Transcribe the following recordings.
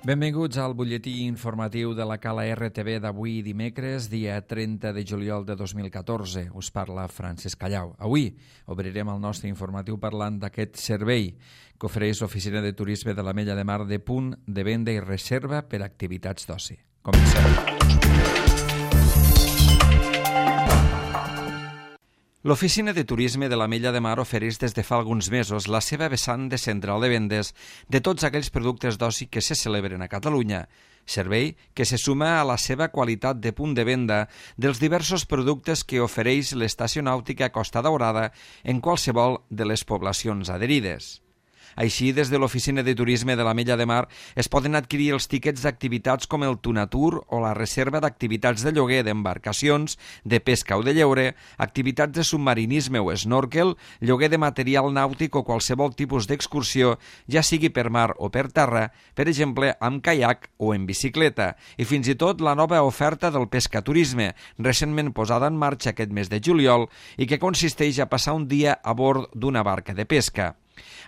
Benvinguts al butlletí informatiu de la Cala RTV d'avui dimecres, dia 30 de juliol de 2014. Us parla Francesc Callau. Avui obrirem el nostre informatiu parlant d'aquest servei que ofereix l'Oficina de Turisme de l'Ametlla de Mar de punt de venda i reserva per a activitats d'oci. Comencem. L'Oficina de Turisme de l'Ametlla de Mar ofereix des de fa alguns mesos la seva vessant de central de vendes de tots aquells productes d'oci que se celebren a Catalunya, servei que se suma a la seva qualitat de punt de venda dels diversos productes que ofereix l'Estació Nàutica Costa Daurada en qualsevol de les poblacions adherides. Així, des de l'Oficina de Turisme de l'Ametlla de Mar es poden adquirir els tíquets d'activitats com el Tunatur o la reserva d'activitats de lloguer d'embarcacions, de pesca o de lleure, activitats de submarinisme o snorkel, lloguer de material nàutic o qualsevol tipus d'excursió, ja sigui per mar o per terra, per exemple amb caiac o en bicicleta, i fins i tot la nova oferta del pescaturisme, recentment posada en marxa aquest mes de juliol i que consisteix a passar un dia a bord d'una barca de pesca.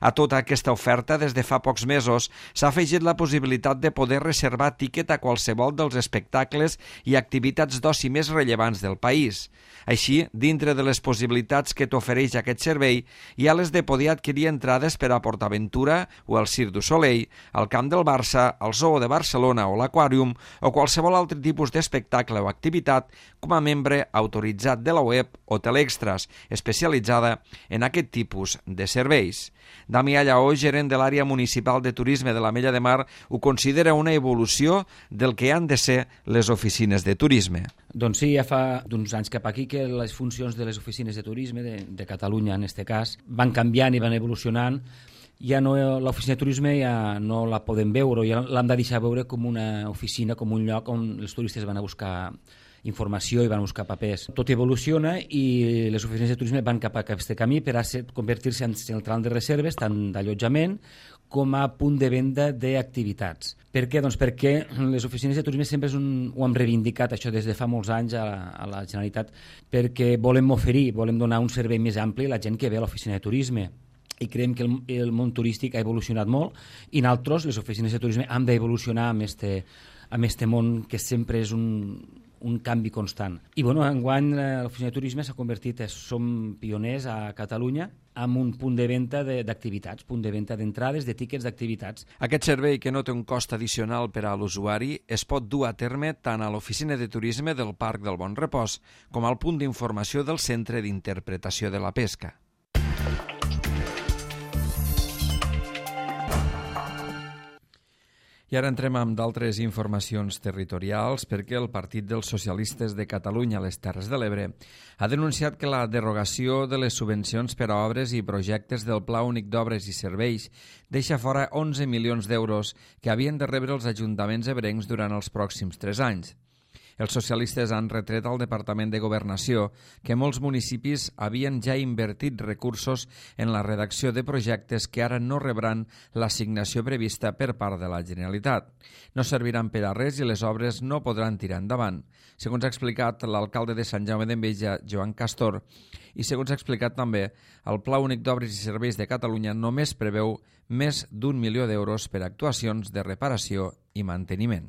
A tota aquesta oferta, des de fa pocs mesos, s'ha afegit la possibilitat de poder reservar tíquet a qualsevol dels espectacles i activitats d'oci més rellevants del país. Així, dintre de les possibilitats que t'ofereix aquest servei, hi ha les de poder adquirir entrades per a PortAventura o al Cirque du Soleil, al Camp del Barça, al Zoo de Barcelona o l'Aquàrium o qualsevol altre tipus d'espectacle o activitat com a membre autoritzat de la web Hotel Extras, especialitzada en aquest tipus de serveis. Damià Lleó, gerent de l'àrea municipal de turisme de l'Ametlla de Mar, ho considera una evolució del que han de ser les oficines de turisme. Doncs sí, ja fa d'uns anys cap aquí que les funcions de les oficines de turisme de Catalunya, en aquest cas, van canviant i van evolucionant. Ja no, l'oficina de turisme ja no la podem veure, ja l'hem de deixar veure com una oficina, com un lloc on els turistes van a buscar informació i van buscar papers. Tot evoluciona i les oficines de turisme van cap a aquest camí per a convertir-se en central de reserves, tant d'allotjament com a punt de venda d'activitats. Per què? Doncs perquè les oficines de turisme sempre ho hem reivindicat, això des de fa molts anys a la Generalitat, perquè volem donar un servei més ampli a la gent que ve a l'oficina de turisme. I creiem que el món turístic ha evolucionat molt i nosaltres, les oficines de turisme, hem d'evolucionar amb este món que sempre és un canvi constant. I enguany l'oficina de turisme s'ha convertit, som pioners a Catalunya amb un punt de venda d'activitats, punt de venda d'entrades, de tíquets d'activitats. Aquest servei, que no té un cost addicional per a l'usuari, es pot dur a terme tant a l'oficina de turisme del Parc del Bon Repòs com al punt d'informació del Centre d'Interpretació de la Pesca. I ara entrem amb d'altres informacions territorials perquè el Partit dels Socialistes de Catalunya a les Terres de l'Ebre ha denunciat que la derogació de les subvencions per a obres i projectes del Pla Únic d'Obres i Serveis deixa fora 11 milions d'euros que havien de rebre els ajuntaments ebrencs durant els pròxims 3 anys. Els socialistes han retret al Departament de Governació que molts municipis havien ja invertit recursos en la redacció de projectes que ara no rebran l'assignació prevista per part de la Generalitat. No serviran per a res i les obres no podran tirar endavant, segons ha explicat l'alcalde de Sant Jaume d'Enveja, Joan Castor, i segons ha explicat també, el Pla Únic d'Obres i Serveis de Catalunya només preveu més d'1 milió d'euros per a actuacions de reparació i manteniment.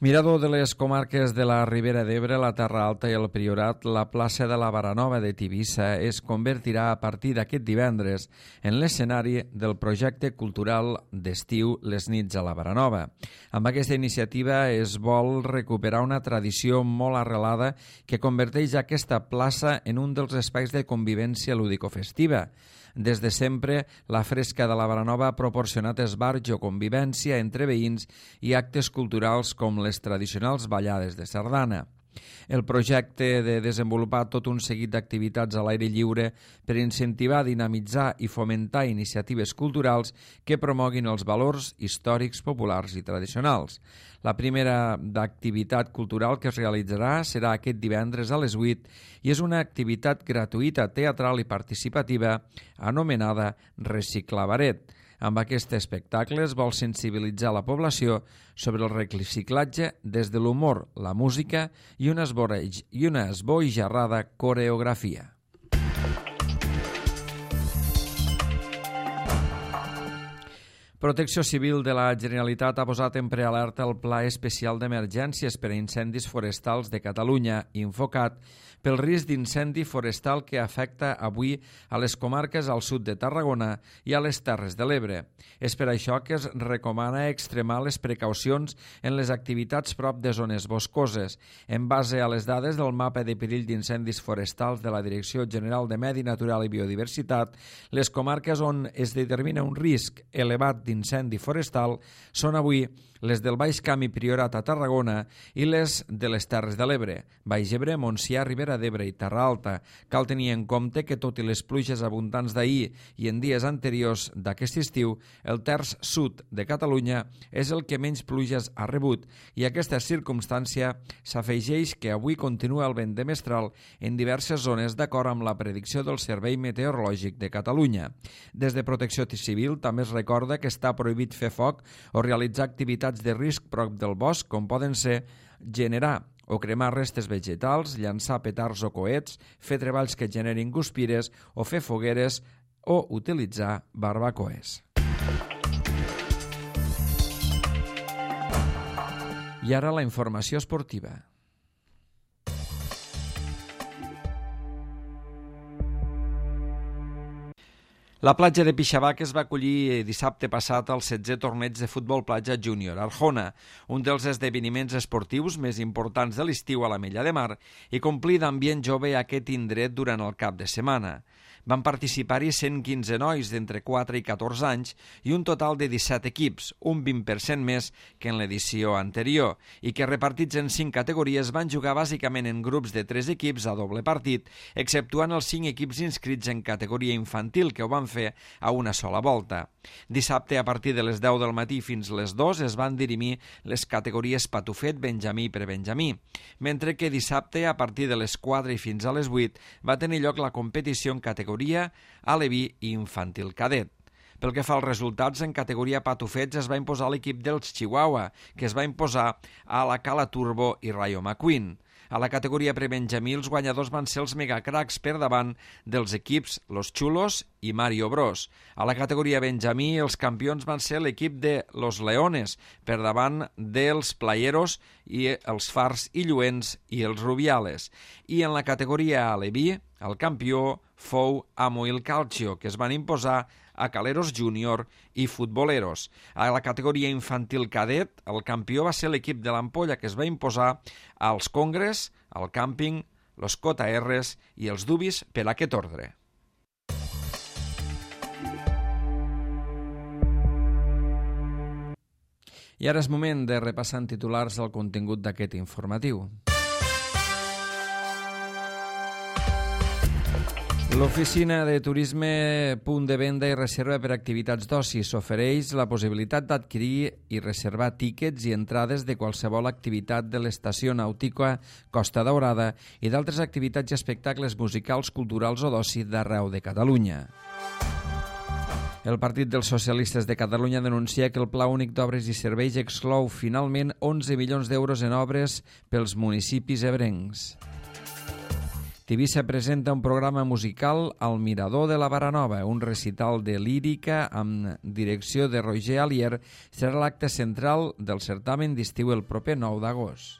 Mirador de les comarques de la Ribera d'Ebre, la Terra Alta i el Priorat, la plaça de la Baranova de Tivissa es convertirà a partir d'aquest divendres en l'escenari del projecte cultural d'estiu Les nits a la Baranova. Amb aquesta iniciativa es vol recuperar una tradició molt arrelada que converteix aquesta plaça en un dels espais de convivència lúdico-festiva. Des de sempre, la Fresca de la Baranova ha proporcionat esbarjo, convivència entre veïns i actes culturals com les tradicionals ballades de sardana. El projecte de desenvolupar tot un seguit d'activitats a l'aire lliure per incentivar, dinamitzar i fomentar iniciatives culturals que promoguin els valors històrics, populars i tradicionals. La primera d'activitat cultural que es realitzarà serà aquest divendres a les 8 i és una activitat gratuïta, teatral i participativa anomenada Reciclabaret. Amb aquest espectacle es vol sensibilitzar la població sobre el reciclatge des de l'humor, la música i una esbojarrada coreografia. Protecció Civil de la Generalitat ha posat en prealerta el Pla Especial d'Emergències per a Incendis Forestals de Catalunya, Infocat, pel risc d'incendi forestal que afecta avui a les comarques al sud de Tarragona i a les Terres de l'Ebre. És per això que es recomana extremar les precaucions en les activitats prop de zones boscoses. En base a les dades del mapa de perill d'incendis forestals de la Direcció General de Medi Natural i Biodiversitat, les comarques on es determina un risc elevat d'incendi forestal són avui les del Baix Camp i Priorat a Tarragona i les de les Terres de l'Ebre, Baix Ebre, Montsià, Ribera d'Ebre i Terra Alta. Cal tenir en compte que, tot i les pluges abundants d'ahir i en dies anteriors d'aquest estiu, el terç sud de Catalunya és el que menys pluges ha rebut i aquesta circumstància s'afegeix que avui continua el vent de mestral en diverses zones d'acord amb la predicció del Servei Meteorològic de Catalunya. Des de Protecció Civil també es recorda que està prohibit fer foc o realitzar activitats de risc prop del bosc, com poden ser generar o cremar restes vegetals, llançar petards o coets, fer treballs que generin guspires o fer fogueres o utilitzar barbacoes. I ara la informació esportiva. La platja de Pixavaques va acollir dissabte passat el 16è torneig de futbol platja júnior Arjona, un dels esdeveniments esportius més importants de l'estiu a la Mella de Mar i complir d'ambient jove aquest indret durant el cap de setmana. Van participar-hi 115 nois d'entre 4 i 14 anys i un total de 17 equips, un 20% més que en l'edició anterior, i que repartits en 5 categories van jugar bàsicament en grups de 3 equips a doble partit, exceptuant els 5 equips inscrits en categoria infantil que ho van fer a una sola volta. Dissabte, a partir de les 10 del matí fins les 2, es van dirimir les categories patufet, benjamí i prebenjamí, mentre que dissabte, a partir de les 4 i fins a les 8, va tenir lloc la competició en categoria aleví i infantil cadet. Pel que fa als resultats, en categoria patufets es va imposar l'equip dels Chihuahua, que es va imposar a la Cala Turbo i Rayo McQueen. A la categoria prebenjamí, els guanyadors van ser els megacracs per davant dels equips Los Chulos i Mario Bros. A la categoria benjamí, els campions van ser l'equip de Los Leones, per davant dels Playeros i els Fars i Lluents i els Rubiales. I en la categoria aleví, el campió fou Amoil Calcio, que es van imposar a Caleros Júnior i Futboleros. A la categoria infantil cadet, el campió va ser l'equip de l'Ampolla, que es va imposar als Congres, al Càmping, los JRs i els Dubis per aquest ordre. I ara és moment de repassar en titulars el contingut d'aquest informatiu. L'oficina de turisme Punt de Venda i Reserva per Activitats d'Oci s'ofereix la possibilitat d'adquirir i reservar tíquets i entrades de qualsevol activitat de l'estació nàutica Costa Daurada i d'altres activitats i espectacles musicals, culturals o d'oci d'arreu de Catalunya. El Partit dels Socialistes de Catalunya denuncia que el Pla Únic d'Obres i Serveis exclou finalment 11 milions d'euros en obres pels municipis ebrencs. Tivissa presenta un programa musical al Mirador de la Baranova, un recital de lírica amb direcció de Roger Alier serà l'acte central del certamen d'estiu el proper 9 d'agost.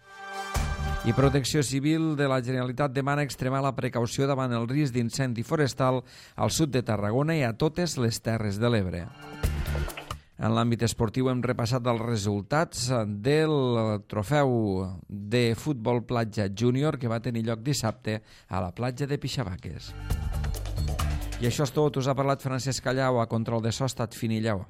I Protecció Civil de la Generalitat demana extremar la precaució davant el risc d'incendi forestal al sud de Tarragona i a totes les Terres de l'Ebre. En l'àmbit esportiu hem repassat els resultats del trofeu de futbol platja júnior que va tenir lloc dissabte a la platja de Pixavaques. I això és tot. Us ha parlat Francesc Callau, a control de so ha estat Finillau.